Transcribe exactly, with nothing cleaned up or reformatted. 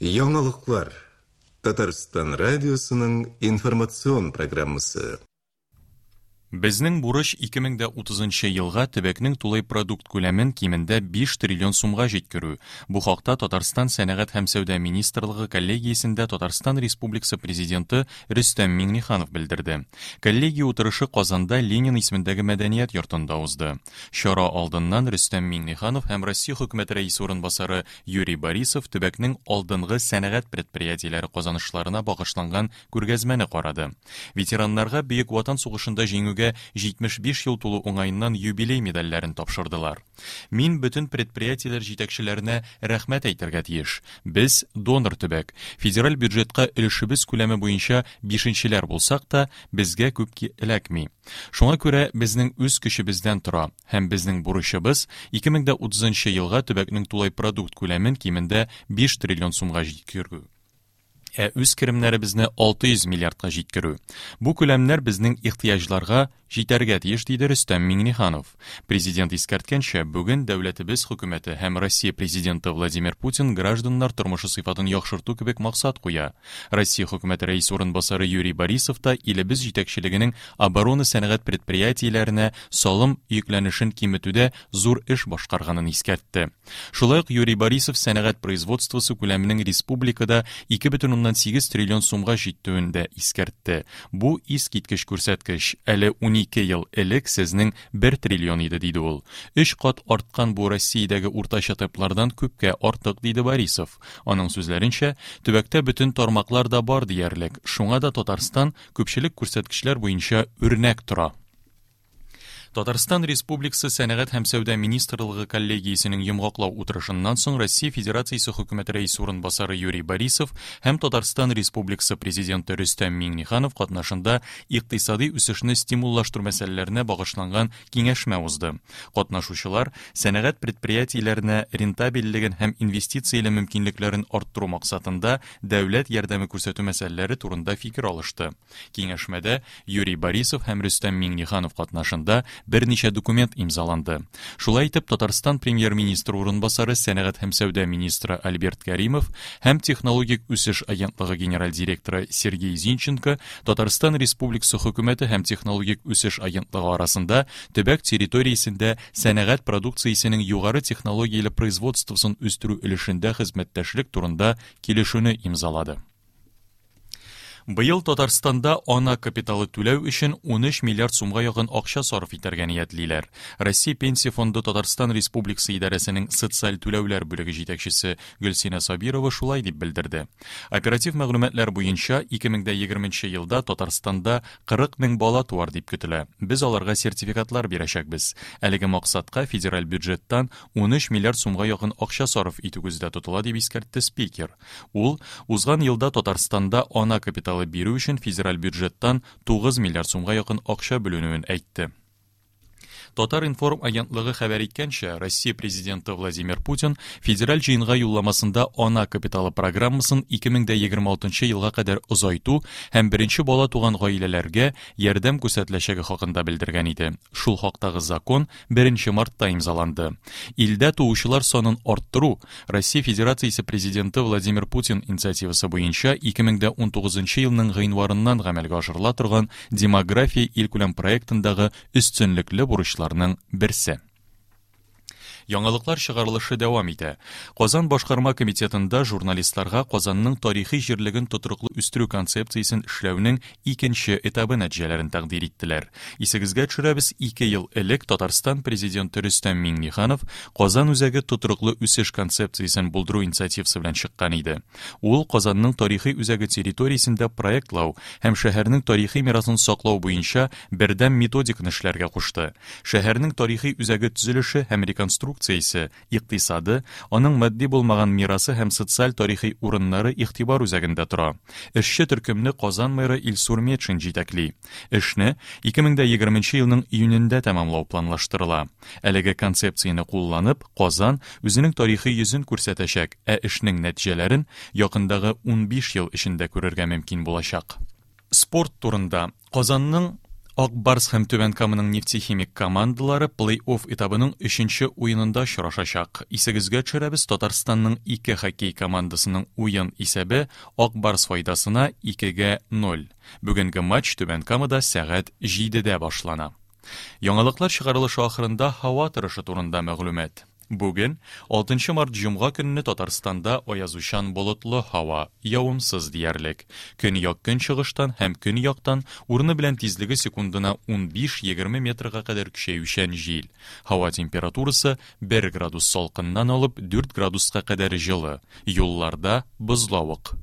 Яңалыклар. Татарстан радиосының информацион программасы. Безнең бурыч ике мең дә утызынчы елга төбәкнең тулай продукт күләмен кимендә биш триллион сумга җиткерү. Бу хакта Татарстан Сәнәгать һәм сәүдә министрлыгы коллегиясендә Татарстан Республикасы президенты Рөстәм Миңнеханов белдерде. Коллегия утырышы Казанда Ленин исемендәге мәдәният йортында узды. Чара алдыннан Рөстәм Миңнеханов һәм Россия хөкүмәте рәисе урынбасары Юрий Борисов төбәкнең алдынгы сәнәгать предприятиеләре казанышларына багышланган күргәзмәне карады. Ветераннарга Бөек Ватан сугышында җиңүгә җитмеш биш ел тулу уңаеннан юбилей медальләрен тапшырдылар. Мин бөтен предприятиеләр җитәкчеләренә рәхмәт әйтергә тиеш. Без донор төбәк. Федераль бюджетка өлешебез күләме буенча бишенчеләр булсак та, безгә күп эләкми. Шуңа күрә безнең үз көчебездән тора һәм безнең бурычыбыз ике мең дә утызынчы елга төбәкнең тулай продукт күләмен кимендә биш триллион сумга җиткерү. Ә үз керемнәребезне алты йөз миллиардка җиткерү. Бу күләмнәр безнең ихтыяҗларга җитәргә тиеш, диде Рөстәм Миңнеханов. Президент искәрткәнчә, бүген дәүләтебез хөкүмәте һәм Россия президенты Владимир Путин гражданнар тормышы сыйфатын яхшырту кебек максат куя. Россия хөкүмәте рәисе урынбасары Юрий Борисов та илебез җитәкчелегенең оборона сәнәгать предприятиеләренә салым йөкләнешен киметүдә зур эш башкарганын искәртте. Шулай ук Юрий Борисов сәнәгать производствосы күләменең республикада ике бөтен уннан сигез триллион сумга җитүен дә искәртте. Бу искиткеч күрсәткеч. Әле унике ел элек сезнең бер триллион иде, диде ул. Өч кат арткан бу Россиядәге уртача темплардан күпкә артык, диде Борисов. Аның сүзләренчә, төбәктә бөтен тармаклар да бар диярлек. Шуңа да Татарстан күпчелек күрсәткечләр буенча үрнәк тора. Татарстан Республикасы Сәнәгать һәм Сәүдә министрлыгы коллегиясенең йомгаклау утырышыннан соң Россия Федерациясе хөкүмәте рәисе урынбасары Юрий Борисов һәм Татарстан Республикасы президенты Рөстәм Миңнеханов катнашында икътисади үсешне стимуллаштыру мәсьәләләренә багышланган киңәшмә узды. Катнашучылар сәнәгать предприятиеләренә рентабельлеген һәм инвестицияле мөмкинлекләрен арттыру максатында дәүләт ярдәме күрсәтү мәсьәләләре турында фикер алышты. Киңәшмәдә Юрий Борисов һәм Рөстәм Миңнеханов катнашында берничә документ имзаланды. Шулай итеп, Татарстан премьер-министры урынбасары, сәнәгать һәм сәүдә министры Альберт Каримов һәм технологик үсеш агентлыгы генераль директоры Сергей Зинченко Татарстан Республикасы хөкүмәте һәм технологик үсеш агентлыгы арасында төбәк территориясендә сәнәгать продукциясенең югары технологияле производствосын үстерү өлешендә хезмәттәшлек турында килешүне имзалады. Быел Татарстанда ана капиталы түләү өчен унөч миллиард сумга якын акча сарыф итәргә ниятлиләр. Россия Пенсия фонды Татарстан Республикасы идарәсенең социаль түләүләр бүлеге җитәкчесе Гөлсинә Сабирова шулай дип белдерде. Оператив мәгълүматлар буенча ике мең дә егерменче елда Татарстанда кырык мең бала туар дип көтелә. Без аларга сертификатлар бирәчәкбез. Әлеге максатка федераль бюджеттан унөч миллиард сумга якын акча сарыф итү күздә тотыла, дип искәртте спикер. Ул узган елда Татарстанда ана капиталы бирү өчен федераль бюджеттан тугыз миллиард сумга якын акча бүленүен әйтте. Татар-информ агентлыгы хәбәр иткәнчә, Россия президенты Владимир Путин федераль җыенга юлламасында ана капиталы программасын ике мең дә егерме алтынчы елга кадәр озайту һәм беренче бала туган гаиләләргә ярдәм күрсәтеләчәге хакында белдергән иде. Шул хактагы закон беренче мартта имзаланды. Илдә туучылар санын арттыру Россия Федерациясе президенты Владимир Путин инициативасы буенча ике мең дә унтугызынчы елның гыйнварыннан гамәлгә ашырыла торган демография илкүләм проектындагы өстенлекле бурычлар берсе. Яңалыклар чыгарылышы дәвам итә. Казан башкарма комитетында журналистларга Казанның тарихи җирлеген тотрыклы үстерү концепциясен эшләүнең икенче этабы нәтиҗәләрен тәкъдир иттеләр. Исегезгә төшерәбез, ике ел элек Татарстан президенты Рөстәм Миңнеханов Казан үзәге тотрыклы үсеш концепциясен булдыру инициативасы белән чыккан иде. Ул Казанның тарихи үзәге территориясендә проектлау һәм шәһәрнең тарихи мирасын саклау буенча бердәм методиканы эшләргә кушты. Шәһәрнең тарихи үзәге төзелеше һәм реконструкциясе, икътисады, аның матди булмаган мирасы һәм социаль тарихи урыннары игътибар үзәгендә тора. Эшче төркемне Казан мэры Илсур Метшин җитәкли. Эшне ике мең дә егерменче елның июнендә тәмамлау планлаштырыла. Әлеге концепцияне кулланып, Казан үзенең тарихи йөзен күрсәтәчәк, ә эшнең нәтиҗәләрен якындагы унбиш ел эчендә күрергә мөмкин булачак. Спорт турында. Казанның Ак Барс һәм Түбән Каманың Нефтехимик командалары плей-офф этабының өченче уенында очрашачак. Исегезгә төшерәбез, Татарстанның ике хоккей командасының уен исәбе Ак Барс файдасына икегә ноль. Бүгенге матч Түбән Камада сәгать җидедә башлана. Яңалыклар чыгарылышы ахырында һава торышы турында мәгълүмат. Бүген, алтынчы март җомга көнне Татарстанда аязучан болытлы һава, явымсыз диярлек. Көньяк-көнчыгыштан һәм көньяктан урыны белән тизлеге секундына ун биш-егерме метрга кадәр көчәючән җил. Һава температурасы бер градус салкыннан алып дүрт градуска кадәр җылы. Юлларда бозлавык.